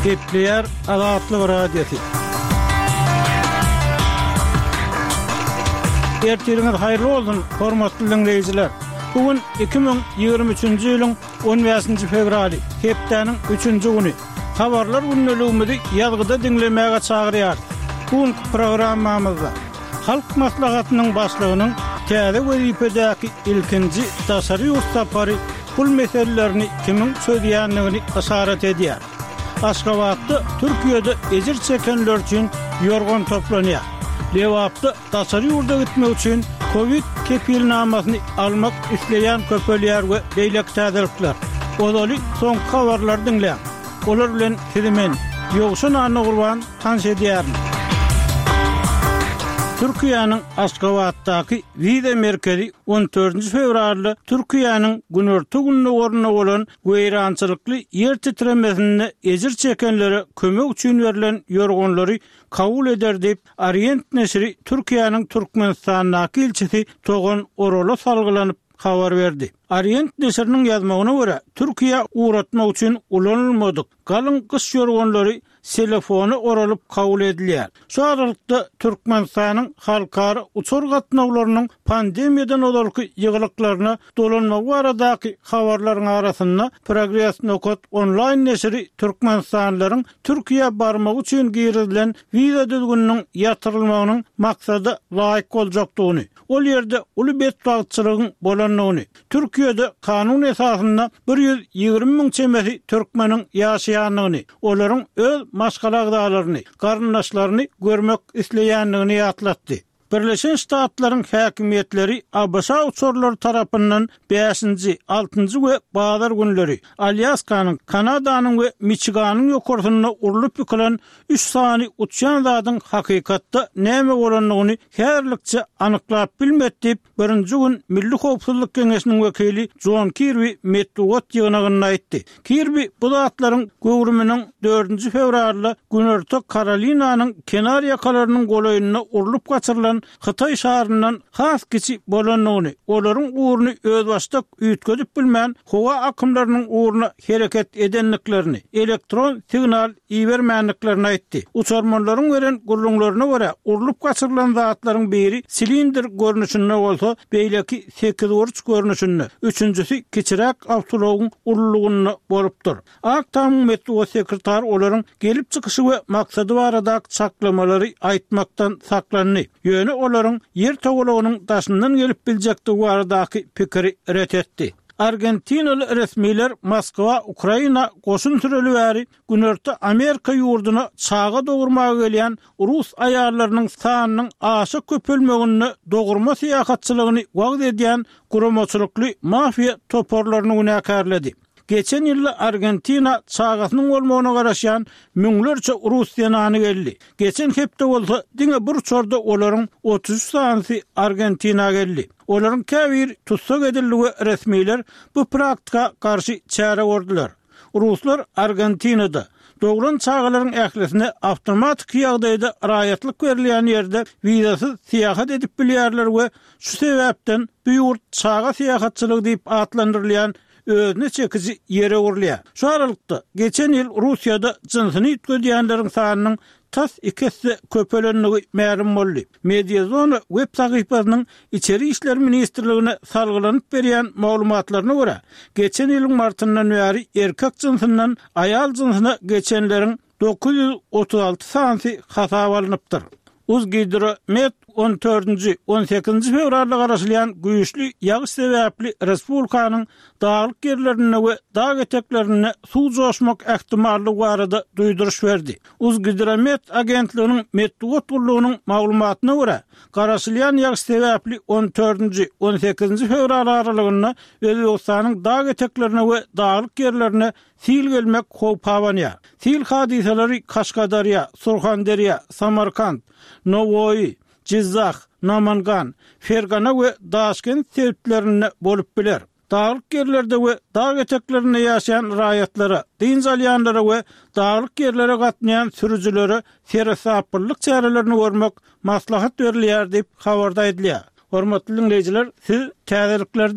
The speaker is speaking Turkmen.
Gepleýär Azatlyk Radiosy. Ertiriňiz haýyrly bolsun, hormatly diňleýjiler! Bu gün 2023-nji ýylyň 15-nji fewraly, hepdäniň üçünji güni. Habarlar gündeligimizi ýazgyda diňlemäge çagyrýarys. Bu günki programmamyzda Halk Maslahatynyň Başlygynyň täze wezipedäki ilkinji daşary ýurt sapary pul meselelerini kimiň çözýändigini yşarat edýär. Aşgabatda Türkiýede ejir çekenler üçin ýorgan toplanýar. Lebapda daşary ýurda gitmek üçin kowid kepilnamasyny almak isleýän köpelýär we beýleki täzelikler. Ozaly soňky habarlary diňläň. Olar bilen sizi men, Ýowşan Annagurban tanyş edýärin. Türkiýäniň Aşgabatdaky wiza merkezi on dördünji fewralda Türkiýäniň günorta-gündogarynda bolan weýrançylykly ýer titremesinde ejir çekenlere kömek üçin berlen ýorganlary kabul eder diýip, Orient neşiri Türkiýäniň Türkmenistandaky ilçisi Togan Orala salgylanyp habar berdi. Orient neşiriniň ýazmagyna görä, Türkiýä ugratmak üçin ulanylmadyk galyň gyş ýorganlary selofona oralyp kabul edilýär. Şu aralykda, Türkmenistanyň halkara uçar gatnawlarynyň pandemiýadan ozalky ýygylyklaryna dolanmagy baradaky habarlaryň arasynda, Progres nokat onlaýn neşiri türkmenistanlylaryň Türkiýä barmagy üçin girizilen wiza düzgüniniň ýatyrylmagynyň maksada laýyk boljakdygyny, ol ýerde uly betbagtçylygyň bolandygyny, Türkiýede kanun esasynda 120 müň çemesi türkmeniň ýaşaýandygyny, olaryň öz maşgala agzalaryny, garyndaşlaryny görmek isleýändigini ýatlatdy. Birleşen Ştatlaryň häkimiýetleri ABŞ uçarlary tarapyndan bäşinji, altynjy we bazar günleri Alýaskanyň, Kanadanyň we Miçiganyň ýokarsynda urlup ýykylan üç sany uçýan zadyň hakykatda näme bolandygyny häzirlikçe anyklap bilmedi diýip, Birinji gün Milli howpsuzlyk geňeşiniň wekili Jon Kirbi metbugat ýygnagynda aýtdy. Kirbi bu zatlaryň göwrüminiň dördünji fewralda Günorta Karolinanyň kenar ýakalarynyň golaýynda urlup gaçyrylan hytaý şaryndan has kiçi bolandygyny, olaryň ugruny özbaşdak üýtgedip bilmän, howa akymlarynyň ugruna hereket edendiklerini, elektron signal ibermändiklerini aýtdy. Uçarmanlaryň beren gürrüňlerine görä, urlup gaçyrylan zatlaryň biri silindr görnüşinde bolsa, beýleki sekizburç görnüşinde, üçünjisi kiçiräk awtoulagyň ululygynda bolupdyr. Ak Tamyň metbugat sekretary olaryň gelip çykyşy we maksady baradaky çaklamalary aýtmakdan saklandy, ýöne olaryň Ýer togalagynyň daşyndan gelip biljekdigi baradaky pikiri ret etdi. Argentinaly resmiler Moskwa Ukraina goşun süreli bäri Günorta Amerika ýurduna çaga dogurmaga gelýän rus aýallarynyň sanynyň aşa köpelmeginde dogurma syýahatçylygyny wagyz edýän guramaçylykly mafiýa toparlaryny günäkärledi. Geçen ýylda Argentina çagasynyň bolmagyna garaşýan müňlerçe rus zenany geldi. Geçen hepde bolsa diňe bir uçarda olaryň 33 sanysy Argentina geldi. Olaryň käbiri tussag edildi we resmiler bu praktika garşy çäre gördüler. Ruslar Argentinada, doglan çagalaryň ählisine awtomatiki ýagdaýda raýatlyk berilýän ýerde wizasyz syýahat edip bilýärler we şu sebäpden bu ýurt çaga syýahatçylygy diýip atlandyrylýan özüne çekiji ýere öwrülýär. Şu aralykda, geçen ýyl Russiýada jynsyny üýtgedýänleriň sanynyň tas iki esse köpelendigi mälim boldy. Mediazona web sahypasynyň Içeri işler ministrligine salgylanyp berýän maglumatlaryna görä, geçen ýylyň martyndan bäri erkek jynsyndan aýal jynsyna geçenleriň 936 sanysy hasaba alnypdyr. Uzgidromet on dördünji, on sekizinji fewralda garaşylýan güýçli ýagyş sebäpli respublikanyň daglyk ýerlerinde we dag eteklerinde suw joşmak ähtimallygy barada duýduryş berdi. Uzgidromet agentliginiň metbugat gullugynyň maglumatyna görä, garaşylýan ýagyş sebäpli on dördünji, on sekizinji fewral aralygynda Özbegistanyň dag eteklerine we daglyk ýerlerine Sil gelmek howpy abanýar. Sil hadysalary Kaşgadarýa, Surhanderýa, Samarkant, Nowoýy, Jyzzah, Namangan, Fergana we Daşkent sebitlerinde bolup biler. Daglyk ýerlerde we dag eteklerinde ýaşaýan raýatlara, dynç alýanlara we daglyk ýerlere gatnaýan sürüjilere seresaplylyk çärelerini görmek maslahat berilýär diýip, habarda aýdylýar. Hormatly diňleýjiler, siz täzelikleri diňlediňiz.